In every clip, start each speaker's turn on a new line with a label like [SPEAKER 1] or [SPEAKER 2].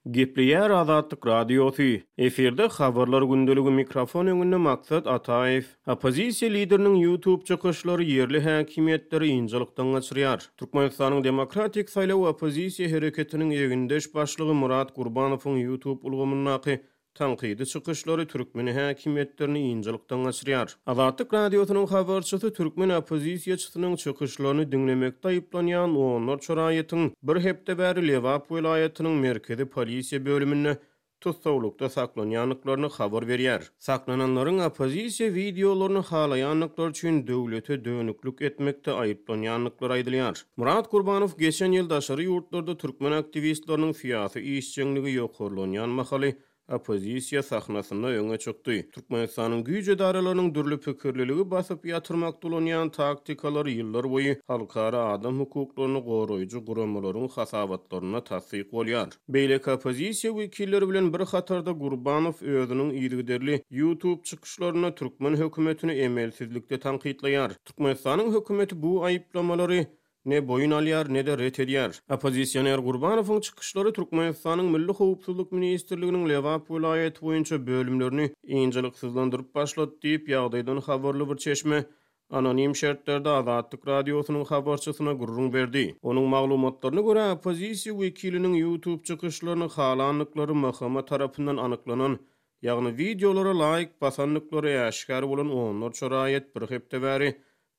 [SPEAKER 1] Gepleýär Azatlyk Radiosy, Efirde Habarlar gündeligi mikrofon öňünde Maksat Ataýew. Oppozisiýa lideriniň YouTube çykyşlary ýerli häkimiýetleri ynjalykdan gaçyrýar. Türkmenistanyň Demokratik saýlaw oppozisiýa hereketiniň egindeş başlygy Myrat Gurbanowyň YouTube ulgamyndaky Tankydy çykyşlary türkmen häkimiýetlerini ynjalykdan gaçyrýar. Azatlyk Radiosynyň habarçysy türkmen oppozisiýaçysynyň çykyşlaryny diňlemekde aýyplanýan onlarça raýatyň bir hepde bäri Lebap welaýatynyň merkezi polisiýa bölüminde tussaglykda saklanýandyklaryny habar berýär. Saklananlaryň oppozisiýa wideolaryny halaýandyklary üçin döwlete dönüklik etmekde aýyplanýandyklary aýdylýar. Myrat Gurbanow geçen ýyl daşary ýurtlarda türkmen aktiwistleriniň syýasy işjeňligi ýokarlanýan mahaly oppozisiýa sahnasynda öňe çykdy. Türkmenistanyň güýç edaralarynyň dürli pikirliligi basyp ýatyrmakda ulanýan taktikalary ýyllarboýy halkara adam hukuklaryny goraýjy guramalaryň hasabatlarynda tassyk bolýar. Beýleki oppozisiýa wekilleri bilen bir hatarda Gurbanow özüniň yzygiderli YouTube çykyşlarynda türkmen hökümetini emelsizlikde tankytlaýar. Türkmenistanyň hökümeti bu aýyplamalary ne boýun alýar, ne-de ret edýär. Oppozisioner Gurbanowyň çykyşlary Türkmenistanyň Milli howpsuzlyk ministrliginiň Lebap welaýaty boýunça bölümlerini ynjalyksyzlandyryp başlady diýip, ýagdaýdan habarly bir çeşme anonim şertlerde Azatlyk Radiosynyň habarçysyna gürrüň berdi. Onuň maglumatlaryna görä, oppozisiýa wekiliniň YouTube çykyşlaryny halandyklary MHM tarapyndan anyklanan Ýagny wideolara laýk basandyklary äşgär bolan onlarça raýat bir hepde bäri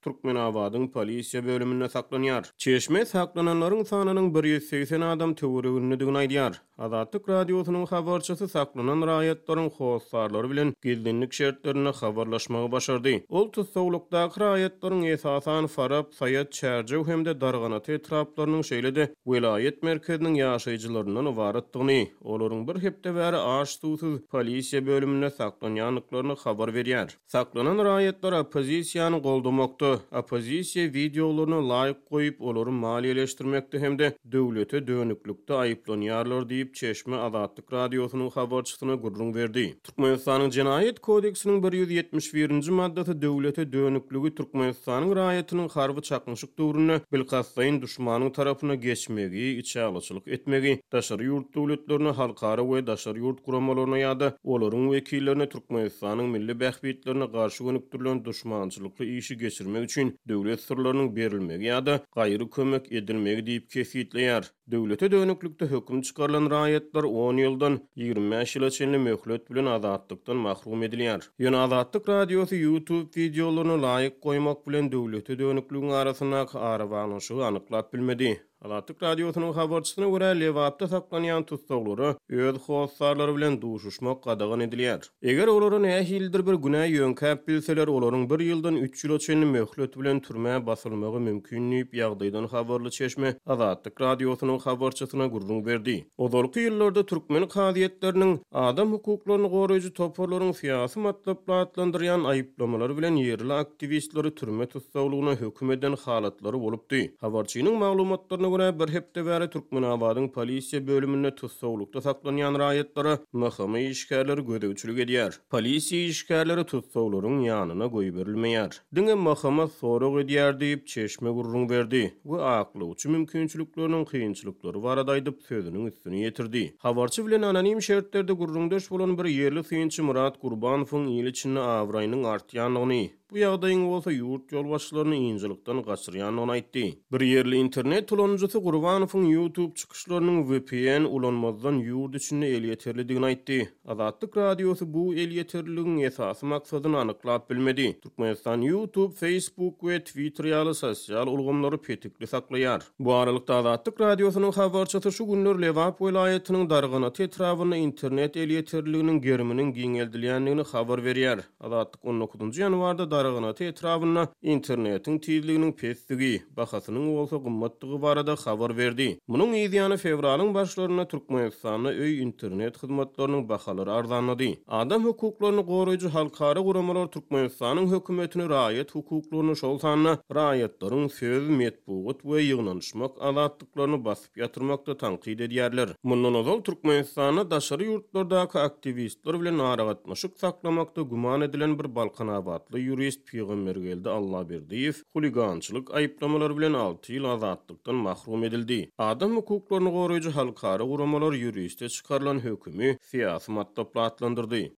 [SPEAKER 1] Türkmenabadyň polisiýa bölüminde saklanýar. Çeşme saklananlaryň sanynyň 180 adam töweregindedigini aýdýar. Azatlyk Radiosynyň habarçysy saklanan raýatlaryň hossarlary bilen gizlinlik şertlerinde habarlaşmagy başardy. Ol tussaglykdaky raýatlaryň esasan Farap, Saýat, Çärjew hem-de Darganata etraplarynyň şeýle-de welaýat merkeziniň ýaşaýjylaryndan ybaratdygyny, Olaryň bir hepde bäri aç-suwsuz polisiýa bölüminde saklanýandyklaryny habar berýär. Saklanan raýatlar oppozisiýany goldamakda, oppozisiýa wideolaryna laýk goýup, olary maliýeleşdirmekde hem-de döwlete dönüklikde aýyplanýarlar diýip, çeşme Azatlyk Radiosynyň habarçysyna gürrüň berdi. Türkmenistanyň Jenaýat kodeksiniň 171-nji maddasy döwlete dönükligi Türkmenistanyň raýatynyň harby çaknyşyk döwründe bilkastlaýyn duşmanyň tarapyna geçmegi, içalyçylyk etmegi, daşary ýurt döwletlerine, halkara we daşary ýurt guramalaryna ýa-da olaryň wekillerine Türkmenistanyň milli bähbitlerine garşy gönükdirilen duşmançylykly işi geçirmek üçin döwlet syrlarynyň berilmegi ýa-da gaýry kömek edilmegi diýip kesgitleýär. Döwlete dönüklikde höküm çykarylan raýatlar on ýyldan 25 ýyla çenli möhlet bilen azatlykdan mahrum edilýär. Ýöne Azatlyk Radiosy YouTube wideolaryna laýk goýmak bilen döwlete dönükligiň arasyndaky arabaglanyşygy anyklap bilmedi. Azatlyk Radiosynyň habarçysyna görä, Lebapda saklanýan tussaglara öz hossarlary bilen duşuşmak gadagan edilýär. Eger olara nähilidir bir günä ýöňkäp bilseler, olaryň bir ýyldan üç ýyla çenli möhlet bilen türmä basylmagy mümkin diýip, ýagdaýdan habarly çeşme Azatlyk Radiosynyň habarçysyna gürrüň berdi. Ozalky ýyllarda türkmen kazyýetleriniň adam hukuklaryny goraýjy toparlaryň syýasy matlaply atlandyrýan aýyplamalary bilen ýerli aktiwistleri türme tussaglygyna höküm eden halatlary bolupdy. Habarçynyň maglumatlaryna görä, bir hepde bäri Türkmenabadyň polisiýa bölüminde tussaglykda saklanýan raýatlara MHM işgärleri gözegçilik edýär. Polisiýa işgärleri tussaglaryň ýanyna goýberilmeýär. Diňe MHM sorag edýär diýip, çeşme gürrüň berdi we aklawçy mümkinçilikleriniň kynçylyklary barada aýdyp, sözüniň üstüni ýetirdi. Habarçy bilen anonim şertlerde gürrüňdeş bolan bir ýerli synçy Myrat Gurbanowyň il içinde abraýynyň artýandygyny, Bu ýagdaýyň bolsa ýurt ýolbaşçylaryny ynjalykdan gaçyrýandygyny aýtdy. Bir ýerli internet ulanyjysy Gurbanowyň YouTube çykyşlarynyň vpn ulanmazdan ýurt içinde elýeterlidigini aýtdy. Azatlyk Radiosy bu elýeterliligiň esasy maksadyny anyklap bilmedi. Türkmenistan YouTube, Facebook we Twitter ýaly sosial ulgamlary petikli saklaýar. Bu aralykda, Azatlyk Radiosynyň habarçysy şu günler Lebap welaýatynyň Darganata etrabynda internet elýeterliliginiň geriminiň giňeldilýändigini habar berýär. Azatlyk on dokuzynjy ýanwarda Darganata etrabynda internetiň tizliginiň pesdigi, bahasynyň bolsa gymmatdygy barada habar berdi. Munuň yzýany fewralyň başlarynda Türkmenistanda öý internet hyzmatlarynyň bahalary arzanlady. Adam hukuklaryny goraýjy halkara guramalar Türkmenistanyň hökümetini raýat hukuklaryny, şol sanda raýatlaryň söz, metbugat we ýygnanyşmak azatlyklaryny bas. basyp ýatyrmakda tankyt edýärler. Mundan ozal Türkmenistanda daşary ýurtlardaky aktiwistler bilen aragatnaşyk saklamakda güman edilen bir balkanabatly ýurist Pygambergeldi Allaberdiýew huligançylyk aýyplamalary bilen alty ýyl azatlykdan mahrum edildi. Adam hukuklaryny goraýjy halkara guramalar ýuriste çykarylan hökümi syýasy matlaply atlandyrdy.